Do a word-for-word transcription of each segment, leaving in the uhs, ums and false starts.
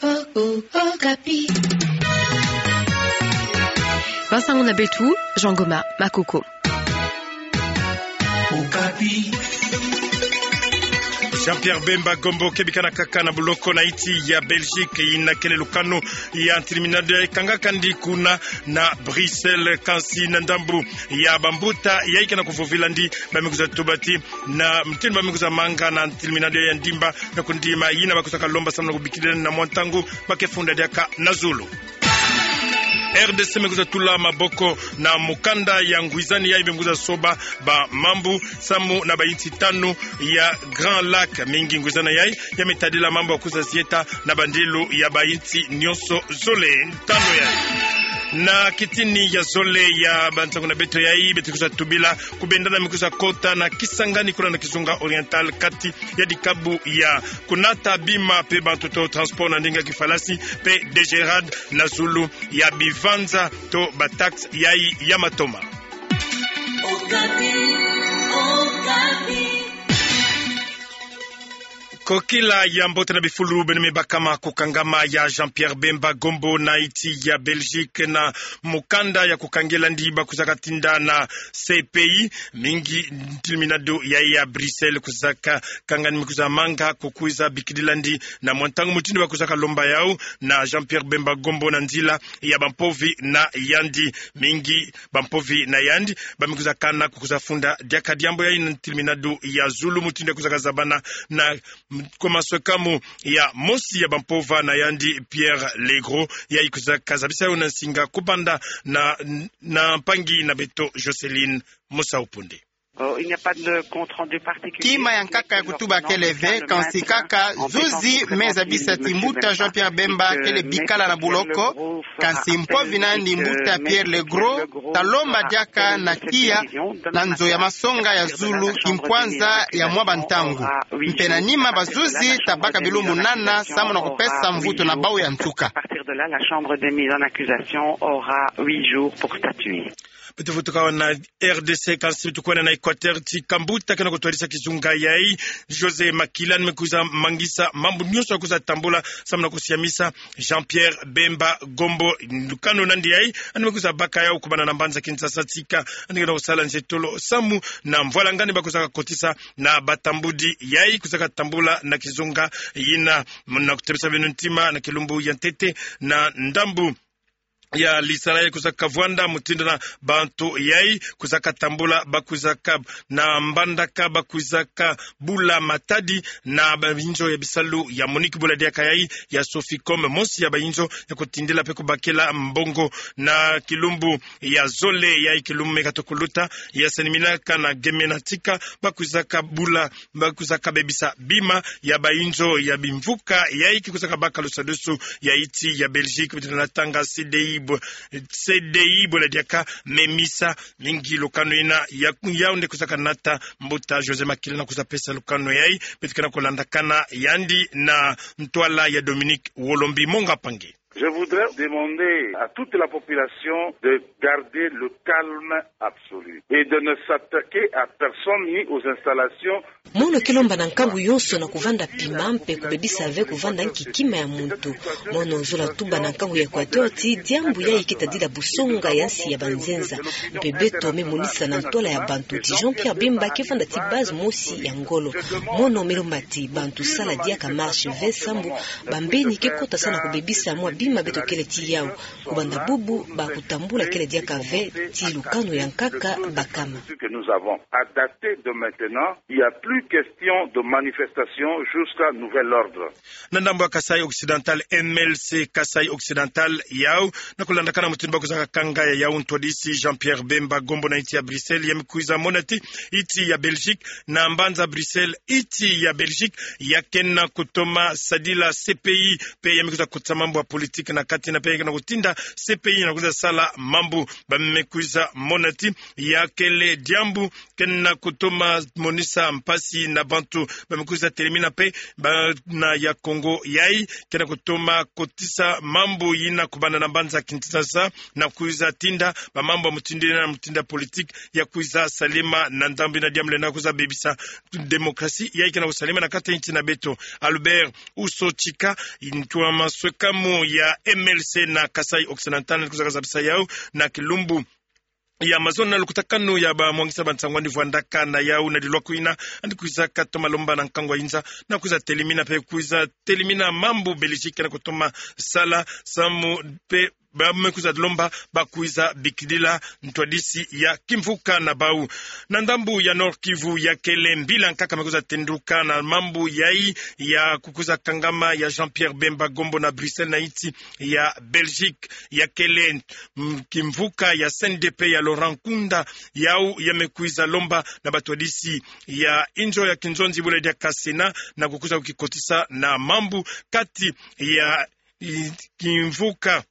Oh, oh, Okapi. Bansango na beto, Jean Goma Makoko. Okapi. Jean-Pierre Bemba Gombo kebikana kaka na buloko na insi ya Belgique, ina kele lukanu ya ntilimina ndo ya ikangaka ndi kuna na Bruxelles, kansi na ndambu ya bambuta ya ikana kuvovila ndi, bamikuza tuba ti na mutindu bamikuza manga na ntilimina ndo ya ndimba na kundima, ina bakuzaka lomba samu na kubikila na mwa ntangu bakefunda diaka na zulu. R D C mekuza tula maboko na mukanda ya ngwizani yayi bemekuza soba bamambu samu na bayinsi tanu ya Grand Lac. Mingi ngwizani yayi ya metadila mambu ya kuza zieta na bandilu ya bayinsi nionso zole tanu yayi. Na kitini ya zole ya bansango na beto yayi, beto kuza tubila kubendana mekuza kota na Kisangani kuna na kizunga Oriental, kati ya dikabu ya kunata bima pe bantu to transport na ndinga kifalasi pe DGRAD na zulu ya bivanza to bataxe yayi ya matoma. Okapi, Okapi. Kokila ya mbote na bifulu beno me bakama kukangama ya Jean-Pierre Bemba Gombo na insi ya Belgique na mukanda ya kukangela ndi bakuzaka tinda na C P I. Mingi ntilimina ndo yayi ya Bruxelles kuzaka kangani mikuza manga kukwiza bikilila ndi na mwa ntangu mutindu bakuzaka lomba yau na Jean-Pierre Bemba Gombo na nzila ya bampovi na yandi. Mingi bampovi na yandi bamikuza kana kukuza funda diaka diambu yayi na ntilimina ndo ya zulu mutindu yakuzaka zabana na m-, kwa maswekamu ya mosi ya bampova na yandi Pierre Legros, yayi kuzaka zabisa yau na nsinga kubanda na, na mpangi na beto Jocelyne Musaupundé. Kima ya nkaka ya kutuba kele ve, kansi kaka zuzi me zabisa ti mbuta Jean-Pierre Bemba kele bikala na buloko, kansi mpovi na yandi mbuta Pierre Legros, ta lomba diaka na tiya na nzo ya masonga ya zulu kimpwanza ya mwa bantangu. Mpe na nima bazuzi ta baka bilumbu nana samu na kupesa mvutu na bau ya nsuka. Beto vutuka awa na R D C, kansi beto kwenda na Équateur, ti kambuta kena kutwadisa kizunga yayi, José Makila, ni mekuza mangisa mambu nionso yakuza tambula samu na kusiamisa Jean-Pierre Bemba Gombo. Lukanu nandi yayi ani mekuza baka yau kubanda na mbanza Kinshasa tika ani kena kusala nzetolo samu na mvwalangani bakuzaka kotisa na batambudi yayi kuzaka tambula na kizunga yina. Muna kutebisa beno ntima, na kilumbu ya ntete na ndambu ya lisala yayi kuzaka vwanda mutindu na bantu yayi kuzaka tambula, bakuzaka na mbandaka, bakuzaka bula matadi na bayinzo ya bisalu ya MONUC, bula diaka yayi ya Soficom, mosi ya bayinzo ya kutindila pe kubakila mbongo. Na kilumbu ya zole yayi, kilumbu me kato kuluta, ya sani minaka na geme na tika, bakuzaka bula, bakuzaka bebisa bima ya bayinzo ya bimvuka yayi kikuzaka baka lusadusu ya insi ya Belgique, beto natanga C D I bo-, C D I bula diaka MEMISA. Mingi lukanu yina ya, yau nde kuzaka nata mbuta José Makila na kuza pesa lukanu yayi. Beto kena kulandakana yandi na ntwala ya Dominique Wolombi Monga Pangi. Je voudrais demander à toute la population de garder le calme absolu et de ne s'attaquer à personne ni aux installations. Mono ke lomba na nkangu yonso na kuvanda pima mpe kubebisa ve kuvanda nki kima ya muntu. Mono zola tuba na nkangu ya Équateur ti diambu yayi ke tadila busonga ya nsi ya banzenza. Mpe beto me monisa na ntwala ya bantu ti Jean-Pierre Bemba ke vanda ti base mosi ya ngolo. Mono me lomba ti bantu sala diaka marche ve sambu bambeni ke kota sa na kubebisa mwa bima beto kele ti yau. Kubanda bubu, bakutambula kele diaka ve ti lukanu ya nkaka bakama. Ce que nous avons. À dater de maintenant, il y a plus question de manifestation jusqu'à nouvel ordre. Na ndambu ya Kasaï Occidental, M L C Kasaï Occidental yau, na kulandakana mutindu bakuzaka kanga ya yau ntwadisi Jean-Pierre Bemba Gombo na insi ya Bruxelles, ya me kwiza mona ti insi ya Belgique, na mbanza Bruxelles, insi ya Belgique ya kena kutoma sadila C P I, mpe ya me kwiza kotisa mambu ya politique. politique na kati na pe ke na kutinda C P I na kwiza sala mambu. Ba me kwiza mona ti ya kele diambu ke na kutoma monisa mpasi na bantu. Ba me kwiza telemina pe bana ya Congo yayi ke na kutoma kotisa mambu yina kubanda na mbanza Kinshasa, na kwiza tinda ba mambu ya mutindu yina na mutindu ya politique ya kwiza salema na ndambu yina, diambu lenda kwiza bebisa démocratie yayi ke na kusalema na kati ya nsi na beto. Albert Usochika, ntu wa maswekamu ya M L C na Kasaï Occidental, yandi kwiza kazabisa yau na kilumbu ya mazono na lukutakanu ya ba mwangisa ba nsangwani vwandaka na yau na dilwaku yina, yandi kwiza katoma lomba na nkangu wa inza na kwiza telemina pe kwiza telemina mambu Belgique na kutoma sala samu pe ba me kwiza lomba ba kwiza bikilila ntwadisi ya kimvuka na bau. Na ndambu ya Nord-Kivu ya kele mbila nkaka me kwiza tenduka na mambu yayi ya kukwiza kangama ya Jean-Pierre Bemba Gombo na Bruxelles na nsi ya Belgique. Ya kele, mm, kimvuka ya C N D P ya Laurent Nkunda, yau ya me kwiza lomba na batwadisi ya inzo ya kinzonzi bwela diaka Sénat na kukwiza kukikotisa na mambu kati ya, i, kimvuka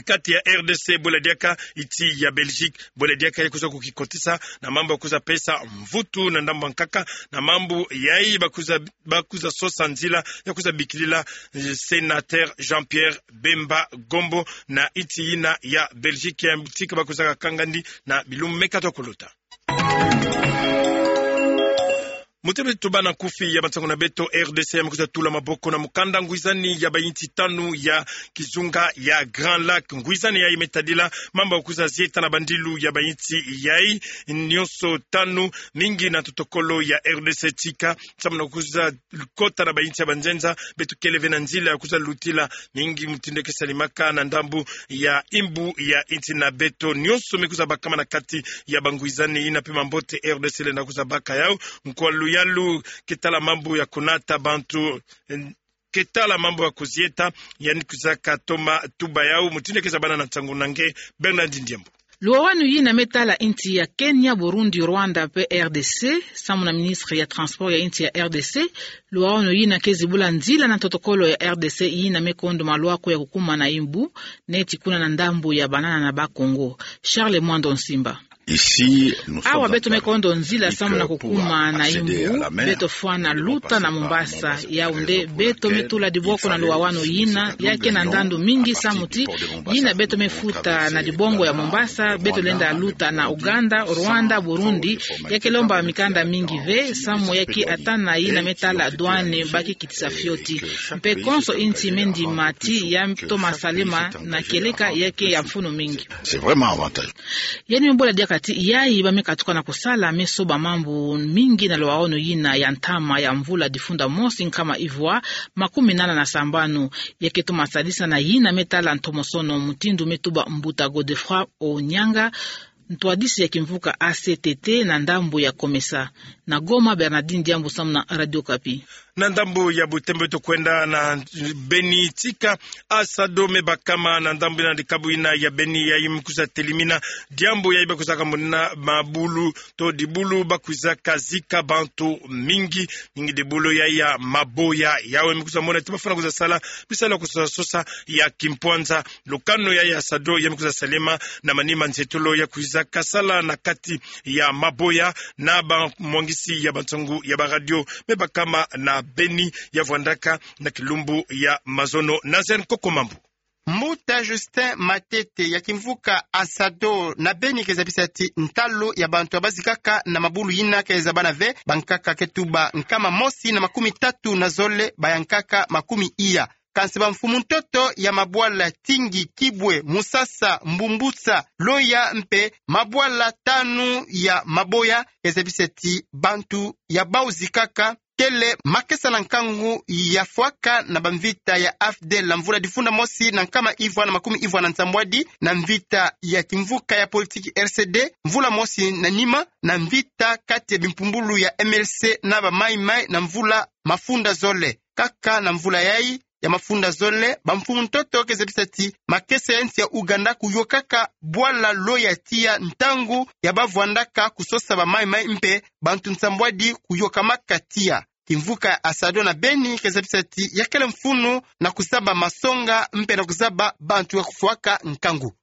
kati ya R D C bwela diaka nsi ya Belgique, bwela diaka ya kwiza kukikotisa na mambu ya kwiza pesa mvutu na ndambu nkaka na mambu yayi ba kwiza, ba kwiza sosa nzila ya kwiza bikilila, eh, sénateur Jean-Pierre Bemba Gombo na nsi yina ya Belgique, ya tika ba kwiza kakanga ndi na bilumbu me kata kuluta. Muti beto tubana nkufi ya bansangu na beto, R D C ya me kwiza tula maboko na mukanda ngwizani ya bansi tanu ya kizunga ya Grand Lac. Ngwizani yayi me tadila mambu ya kwiza zieta na bandilu ya bansi yayi nyonso tanu, mingi na totokolo ya R D C tika, samu na kwiza kota na bansi ya banzenza. Beto kele ve na nzila ya kwiza lutila mingi mutindu ke salemaka na ndambu ya mbu ya nsi na beto. Nyonso me kwiza bakama na kati ya bangwizani yina pe mambote R D C lenda kwiza baka yau. Nkwa luyalu ke tala mambu ya kunata bantu, eh, ke tala mambu ya kuzieta, yandi kwiza katoma tuba yau mutindu ke zabana na nsangu na nge Bernard Ndiembo. Luwawanu yina me tala nsi ya Kenya, Burundi, Rwanda pe R D C, samu na ministre ya transport ya nsi ya R D C, luwawanu yina ke zibula nzila na totokolo ya R D C yina me kondo malwaku ya kukuma na mbu, neti kuna na ndambu ya banana na Bas-Congo. Charles Mwando Nsimba. Awa beto me kondo nzila samu na kukuma na mbu, beto fwana luta na Mombasa. Yau nde beto me tula diboko na luwawanu yina, ya ke na ndandu mingi samu ti yina beto me futa na dibongo ya Mombasa, beto lenda luta na Ouganda, Rwanda, Burundi, ya ke lomba mikanda mingi ve, samu ya ke ata na yina me tala douane ba ke kitisa fioti. Mpe konso nsi me ndima ti ya toma salema na kieleka ya ke ya mfunu mingi. C'est vraiment avantageux. Yandi me bula diaka ti yayi ba me katuka na kusala me soba mambu mingi na luwawanu yina ya ntama ya mvula difunda mosi nkama ivwa makumi nana na sambanu. Ya ke toma sadisa na yina me tala ntomosono mutindu me tuba mbuta Godefroid Onyanga, ntwadisi ya kimvuka A C T T na ndambu ya COMESA. Na Goma, Bernardine Diambu samu na Radio Okapi. Na ndambu ya butembo beto kwenda na Beni tika, ASADO me bakama na ndambu yina dikabu yina ya Beni yayi me kwiza telimina diambu yayi ba kwizaka monina mabulu to dibulu ba kwizaka zika bantu mingi, mingi dibulu yayi ya maboya. Yau me kwiza mona ti ba fwana kwiza sala bisalu ya kusosa sosa ya kimpwanza. Lukanu yayi ya ASADO ya me kwiza salema na manima nzietolo ya kwizaka sala na kati ya maboya na bamwangisi ya bansangu ya baradio me bakama na Beni ya vwandaka na kilumbu ya mazono. Nazaire Nkoko Mambu. Mbuta Justin Matete ya kimvuka ASADO na Beni ke zabisa ti ntalu ya bantu ya ba zikaka na mabulu yina ke zabana ve, bankaka ke tuba nkama mosi na makumi tatu na zole, bayankaka makumi iya. Kansi bamfumu ntoto ya mabwala Tingi, Kibwe, Musasa, Mbumbusa, Loya mpe mabwala tanu ya maboya ke zabisa ti bantu ya bau zikaka kele makesa na nkangu ya fwaka na bamvita ya AFDL na mvula difunda mosi na nkama ivwa na makumi ivwa na nsambwadi, na mvita ya kimvuka ya politiki R C D mvula mosi na nima, na mvita kati ya bimpumbulu ya M L C na ba Mai Mai na mvula mafunda zole. Kaka na mvula yayi ya mafunda zole, bamfumu ntoto ke zabisa ti makesa ya nsi ya Ouganda kuyokaka bwala Loya tiya ntangu ya ba vwandaka kusosa ba Mai Mai mpe bantu nsambwadi kuyokamaka tiya. kimvuka ya SADDO na beni ke zabisa ti ya kele mfunu na kuzaba masonga mpe na kuzaba bantu ya kufwaka nkangu.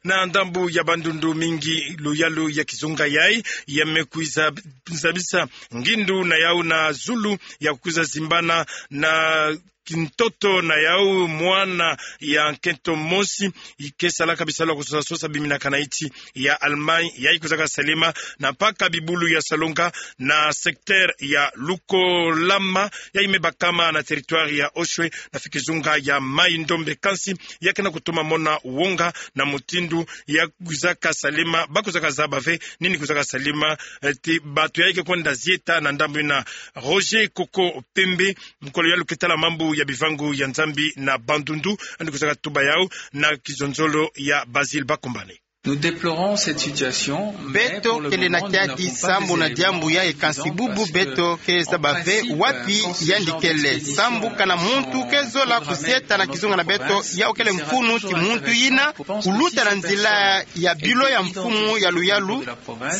Na ndambu ya Bandundu mingi luyalu ya kizunga yai, ya me kwiza zabisa ngindu na yau na zulu ya kwiza zimbana na kintoto na yau mwana ya nkento mosi, i ke salaka bisalu ya kusosa sosa biminaka na insi ya Allemagne, yai kwizaka salema na mpaka bibulu ya Salonga na secteur ya Lukolama, yai me bakama na territoire ya Oshwe, na fi kizunga ya Mai-Ndombe. Kansi, ya ke na kutuma mona wonga na mutindu ya kwizaka salema, ba kwizaka zaba ve nini kwizaka salema, eh, ti bantu yai ke kwenda zieta na ndambu ina. Roger Koko Pembe, mukolo yalu ke tala mambu ya bivangu ya Nzambi na Bandundu, yandi kwizaka tuba yau na kizonzolo ya Basile Bakumbane. Nous déplorons cette situation, mais pour le moment, nous n'avons pas vu de réaction. Beto kele na kiadi sambu na diambu yai, kansi bubu beto ke zaba ve wapi yandi kele. Sambu kana muntu ke zola kuzieta na kizunga na beto, yau kele mfunu ti muntu yina kuluta na nzila ya bilo ya mfumu ya luyalu.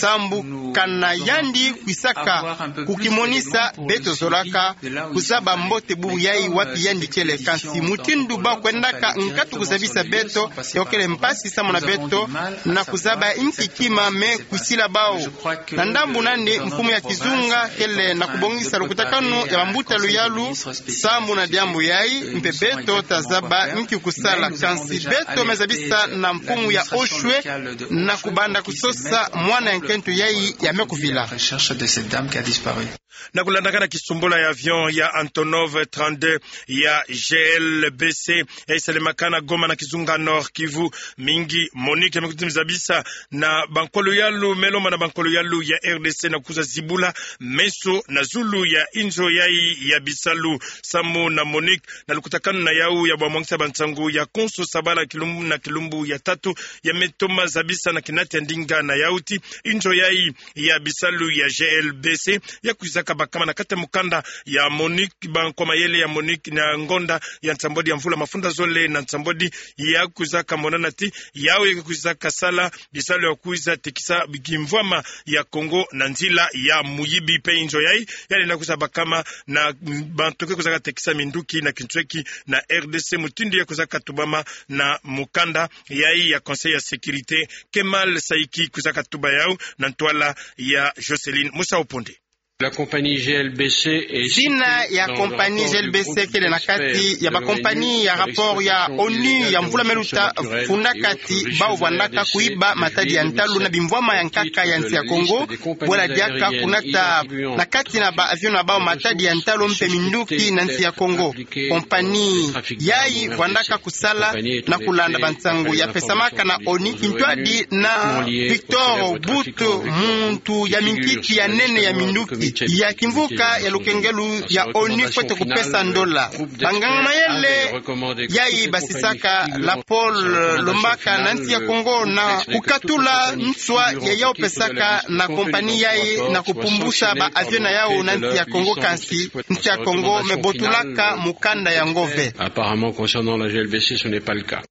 Sambu kana yandi kwisaka kukimonisa, beto zolaka kuzaba mbote bubu yai wapi yandi kele. Kansi mutindu ba kwendaka nkatu kuzabisa beto, yo kele mpasi sambu na beto na kuzaba inki kima me kwisila bau. Na ndambu nani mfumu ya kizunga kele na kubongisa lukutakanu ya bambuta luyalu sambu na diambu yai, mpe beto ta zaba inki kusala. Kansi beto me zabisa na mfumu ya Oshwe na kubanda kusosa mwana ya nkento yai ya me kuvila. Recherche de cette dame qui a disparu. Na kulandakana kisumbula ya avion ya Antonov trente-deux ya G L B C, yai salemaka na Goma na kizunga Nord-Kivu, mingi MONUC ya me kwiza zabisa na bankolo yalu, me lomba na bankolo yalu ya R D C na kwiza zibula meso na zulu ya inzo yai ya bisalu. Samu na MONUC, na lukutakanu na yau ya bamwangisa bansangu ya konso sabala kilumbu na kilumbu ya tatu, ya me toma zabisa na kinati ya ndinga na yau ti inzo yai ya bisalu ya G L B C ya kwizaka bakama na kati ya mukanda ya MONUC, bankwa mayele ya MONUC na ngonda ya nsambwadi ya mvula mafunda zole na nsambwadi, ya kwizaka monana ti yau ya kwizaka sala bisalu ya kwiza tekisa kimvwama ya Kongo na nzila ya muyibi. Mpe inzo yai ya lenda kwiza bakama na bantu ke kwizaka tekisa minduki na kinsweki na R D C, mutindu ya kwizaka tubama na mukanda yai ya Conseil ya Sécurité, Kemal Saiki kwizaka tuba yau na ntwala ya Jocelyne Musa Oponde. La compagnie G L B C est citée dans le rapport du prospect de réunion avec le Conseil de Sécurité. Zina ya compagnie G L B C kele na kati ya bacompagnie ya rapport ya ONU ya mvula me luta, funda kati bau vwandaka kuiba matadi ya ntalu na bimvwama ya nkaka ya nsi ya Kongo, bwela diaka kunata na kati na ba avion na bau matadi ya ntalu mpe minduki na nsi ya Kongo. Compagnie yai vwandaka kusala na kulanda bansangu ya pesamaka na ONU kintwadi na Victor But, muntu ya minkiki ya nene ya minduki ya kimvuka ya lukengelu ya ONU fwete kupesa ndola. Banganga mayele yai basisaka la pole lombaka na nsi ya Kongo na kukatula nswa ya yau pesaka na compagnie yai na kupumbusa ba avion na yau na nsi ya Kongo, kansi nsi ya Kongo me botulaka mukanda yango ve. Apparemment, concernant la G L B C, ce n'est pas le cas.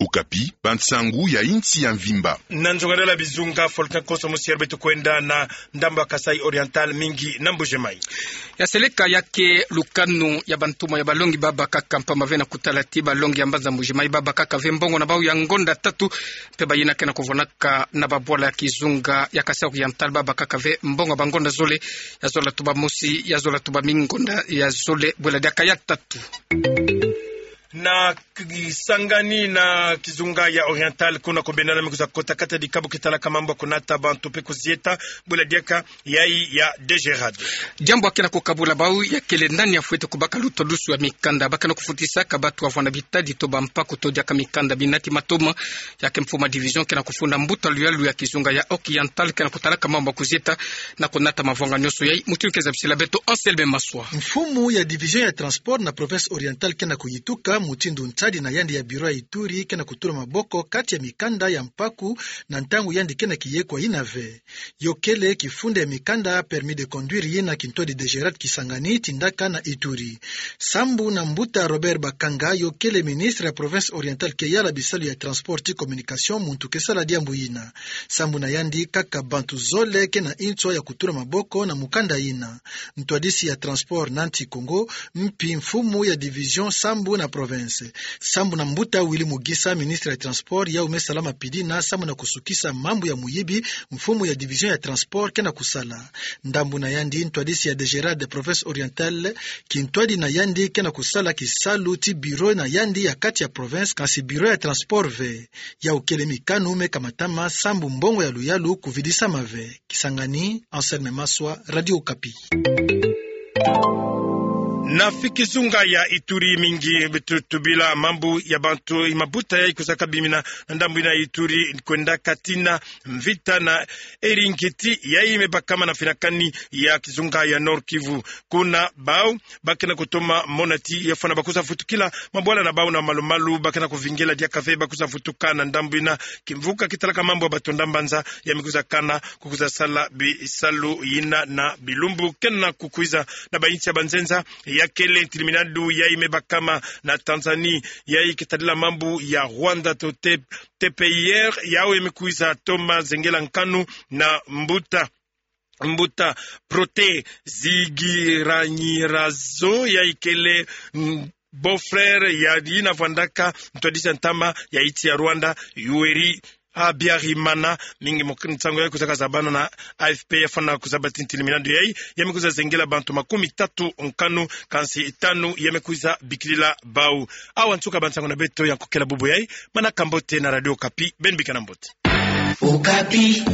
Okapi, bansangu ya insi ya mvimba. Na nzongadala bizunga, Volcan Koso Musier beto kwenda na ndambu ya Kasaï Oriental, mingi na Mbuji-Mayi. Ya seleka ya ke lukanu ya bantumwa ya balongi babakaka, mpamba ve na kutala ti balongi ya mbanza Mbuji-Mayi babakaka ve mbongo na bau ya ngonda tatu, mpe bayina ke na kuvwanaka na babwala ya kizunga ya Kasaï Oriental babakaka ve mbongo ya bangonda zole, ya zola tuba mosi, ya zola tuba mingi ngonda ya zole, bwela diaka ya tatu. Na Kisangani na kizunga ya Oriental, kuna ku Bendana me kwiza kota kati ya dikabu ke talaka mambu ya kunata bantu mpe kuzieta, bwela diaka yai ya DGRAD. Diambu ya ke na kukabula bau ya kele nani ya fwete kubaka lutodusu ya mikanda. Ba ke na kufutisaka batu ya vwanda bitadi to bampaku to diaka mikanda binati matoma, ya ke mfumu ya division ke na kufunda mbuta luyalu ya kizunga ya Oriental ke na kutalaka mambu ya kuzieta na kunata mavanga nyonso yai. Mutindu ke zabisila beto Anselme Maswa, mfumu ya division ya transport na province Oriental ke na kuyituka mutindu ntadi na yandi ya bureau ya Ituri ke na kutula maboko kati ya mikanda ya mpaku na ntangu yandi ke na kiyekwa yina ve. Yo kele kifunda ya mikanda permis de conduire yina kintwadi DGRAD Kisangani tindaka na Ituri. Sambu na mbuta Robert Bakanga, yo kele ministre ya province orientale ke yala bisalu ya transport ti communication, muntu ke sala diambu yina. Sambu na yandi, kaka bantu zole ke na nswa ya kutula maboko na mukanda yina. Ntwadisi ya transport na Anti-Kongo, mpi mfumu ya division sambu na province. Sambu na mbuta Willy Mugisa, ministre ya transport, yau me sala mapidina sambu na kusukisa mambu ya muyibi mfumu ya division ya transport ke na kusala. Ndambu na yandi, ntwadisi ya DGRAD province orientale, kintwadi na yandi ke na kusala kisalu ti bureau na yandi ya kati ya province, kansi bureau ya transport ve. Yau kele mikanu me kamatama sambu mbongo ya luyalu kuvidisama ve. Kisangani, Anselme Maswa, Radio Okapi. Na fiki zunga ya Ituri mingi tu-, tubila mambu ya bantu i mabuta yai kwiza kabimina na ndambu yina Ituri kwenda kati na mvita na Eringeti yai me bakama na finakani ya kizunga ya Nord-Kivu. Kuna bau ba ke na kutoma mona ti ya fwana ba kwiza vutukila mabwala na bau na malu-malu, ba ke na kuvingila diaka ve ba kwiza vutuka na ndambu yina. Kimvuka kitalaka mambu ya batonda mbanza ya me kwiza kana ku kwiza sala bisalu yina na bilumbu ke na kukwiza na ba insi ya banzenza. Ya kele ntilimina du yai me bakama na Tanzanie, yai ke tadila mambu ya Rwanda to T-, T P I R, yau ya me kwiza toma zengela nkanu na mbuta, mbuta Protais Zigiranyirazo, yai kele, mm, beau-frère ya yina vwandaka ntwadisi ya ntama ya insi ya Rwanda, Yoweri Habyarimana. Mingi mo nsangu yai kwiza kazabana na A F P, ya fwana kuzaba ti ntilimina du yai ya me kwiza zengela bantu makumi tatu nkanu, kansi tanu ya me kwiza bikilila bau. Awa nsuka ba nsangu na beto ya nkokela bubu yai. Manaka mbote na Radio Okapi, beno bika na mbote. Okapi.